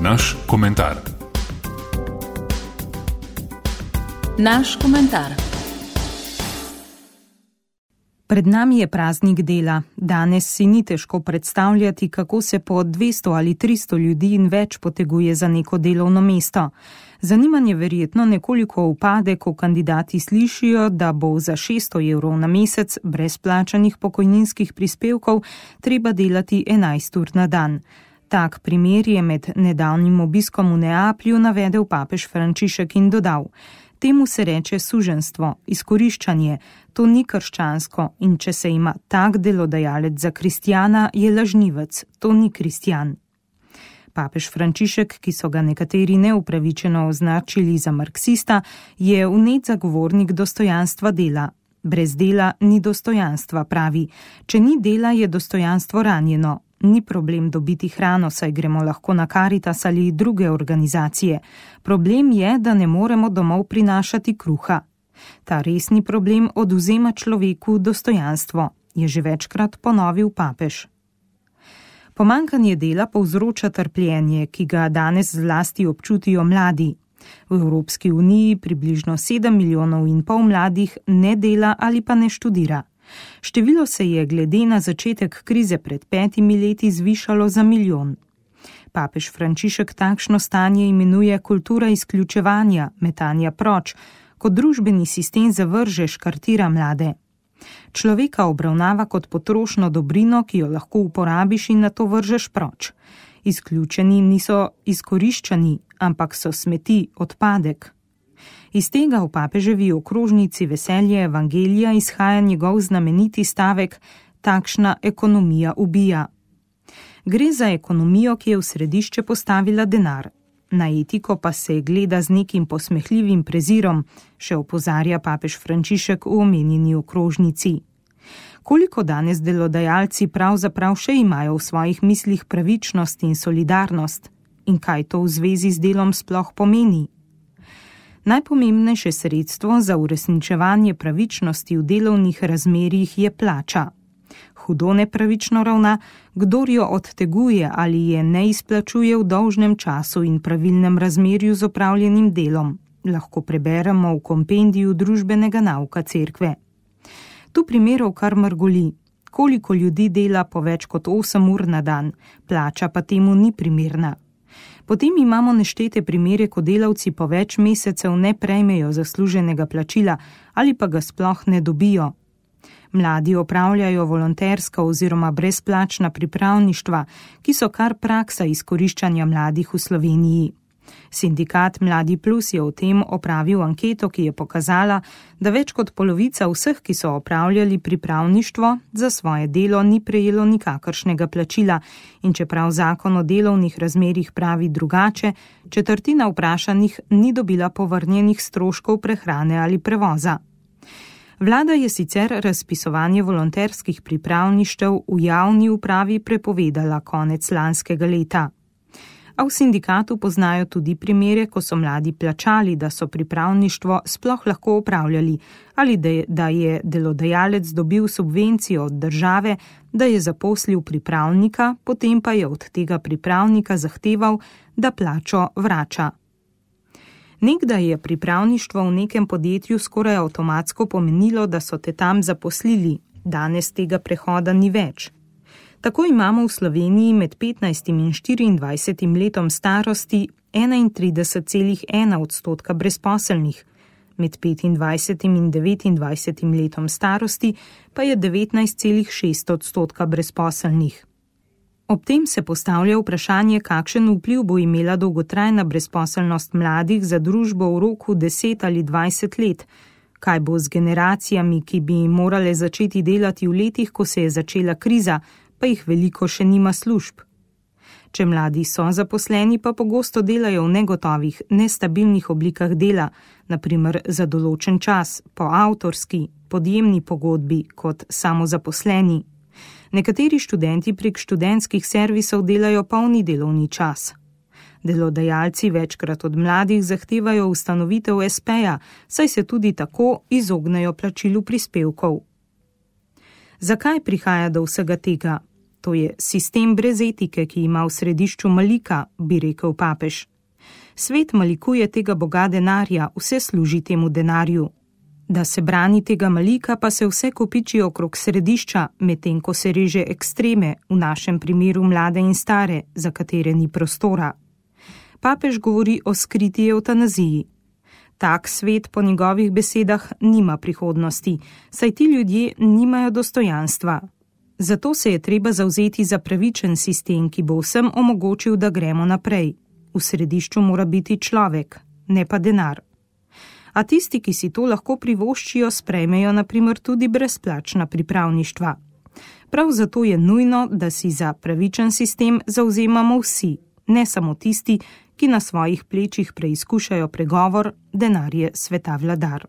Naš komentar. Naš komentar. Pred nami je praznik dela. Danes si ni težko predstavljati, kako se po 200 ali 300 ljudi in več poteguje za neko delovno mesto. Zanimanje verjetno nekoliko upade, ko kandidati slišijo, da bo za 600 evrov na mesec brez plačanih pokojninskih prispevkov treba delati 11 ur na dan. Tak primer je med nedavnim obiskom v Neaplju navedel papež Frančišek in dodal: temu se reče suženjstvo, izkoriščanje, to ni krščansko in če se ima tak delodajalec za kristjana, je lažnivec, to ni kristjan. Papež Frančišek, ki so ga nekateri neupravičeno označili za marksista, je vnet zagovornik dostojanstva dela. Brez dela ni dostojanstva, pravi. Če ni dela, je dostojanstvo ranjeno. Ni problem dobiti hrano, saj gremo lahko na Karitas ali druge organizacije. Problem je, da ne moremo domov prinašati kruha. Ta resni problem odvzema človeku dostojanstvo, je že večkrat ponovil papež. Pomanjkanje dela povzroča trpljenje, ki ga danes zlasti občutijo mladi. V Evropski uniji približno 7,5 milijona mladih ne dela ali pa ne študira. Število se je glede na začetek krize pred 5 leti zvišalo za 1 milijon. Papež Frančišek takšno stanje imenuje kultura izključevanja, metanja proč, kot družbeni sistem zavrže, škartira mlade. Človeka obravnava kot potrošno dobrino, ki jo lahko uporabiš in nato vržeš proč. Izključeni niso izkoriščani, ampak so smeti, odpadek. Iz tega v papeževi okrožnici Veselje evangelija izhaja njegov znameniti stavek: takšna ekonomija ubija. Gre za ekonomijo, ki je v središče postavila denar. Na etiko pa se gleda z nekim posmehljivim prezirom, še opozarja papež Frančišek v omenjeni okrožnici. Koliko danes delodajalci pravzaprav še imajo v svojih mislih pravičnost in solidarnost? In kaj to v zvezi z delom sploh pomeni? Najpomembnejše sredstvo za uresničevanje pravičnosti v delovnih razmerjih je plača. Hudo nepravično ravna, kdor jo odteguje ali je ne izplačuje v dolžnem času in pravilnem razmerju z opravljenim delom, lahko preberemo v kompendiju družbenega nauka cerkve. Tu primerov kar mrgoli. Koliko ljudi dela po več kot 8 ur na dan, plača pa temu ni primerna. Potem imamo neštete primere, ko delavci po več mesecev ne prejmejo zasluženega plačila ali pa ga sploh ne dobijo. Mladi opravljajo volonterska oziroma brezplačna pripravništva, ki so kar praksa izkoriščanja mladih v Sloveniji. Sindikat Mladi Plus je o tem opravil anketo, ki je pokazala, da več kot polovica vseh, ki so opravljali pripravništvo, za svoje delo ni prejelo nikakršnega plačila in čeprav zakon o delovnih razmerjih pravi drugače, četrtina vprašanih ni dobila povrnjenih stroškov prehrane ali prevoza. Vlada je sicer razpisovanje volonterskih pripravništev v javni upravi prepovedala konec lanskega leta. A v sindikatu poznajo tudi primere, ko so mladi plačali, da so pripravništvo sploh lahko opravljali ali da je delodajalec dobil subvencijo od države, da je zaposlil pripravnika, potem pa je od tega pripravnika zahteval, da plačo vrača. Nekdaj je pripravništvo v nekem podjetju skoraj avtomatsko pomenilo, da so te tam zaposlili, danes tega prehoda ni več. Tako imamo v Sloveniji med 15 in 24 letom starosti 31,1% brezposelnih, med 25 in 29 letom starosti pa je 19,6% brezposelnih. Ob tem se postavlja vprašanje, kakšen vpliv bo imela dolgotrajna brezposelnost mladih za družbo v roku 10 ali 20 let, kaj bo z generacijami, ki bi morale začeti delati v letih, ko se je začela kriza, pa jih veliko še nima služb. Če mladi so zaposleni, pa pogosto delajo v negotovih, nestabilnih oblikah dela, na primer za določen čas, po avtorski, podjemni pogodbi kot samozaposleni. Nekateri študenti prek študentskih servisov delajo polni delovni čas. Delodajalci večkrat od mladih zahtevajo ustanovitev SP-ja, saj se tudi tako izognejo plačilu prispevkov. Zakaj prihaja do vsega tega? to je sistem brez etike, ki ima v središču malika, bi rekel papež. Svet malikuje tega boga denarja, vse služi temu denarju. Da se brani tega malika, pa se vse kopiči okrog središča, medtem ko se reže ekstreme, v našem primeru mlade in stare, za katere ni prostora. Papež govori o skriti evtanaziji. Tak svet po njegovih besedah nima prihodnosti, saj ti ljudje nimajo dostojanstva. Zato se je treba zavzeti za pravičen sistem, ki bo vsem omogočil, da gremo naprej. V središču mora biti človek, ne pa denar. A tisti, ki si to lahko privoščijo, sprejmejo na primer tudi brezplačna pripravništva. Prav zato je nujno, da si za pravičen sistem zavzemamo vsi, ne samo tisti, ki na svojih plečih preizkušajo pregovor, denar je sveta vladar.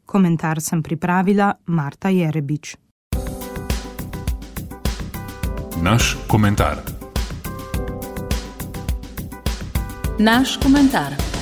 Komentar sem pripravila Marta Jerebič. Naš komentar. Naš komentar.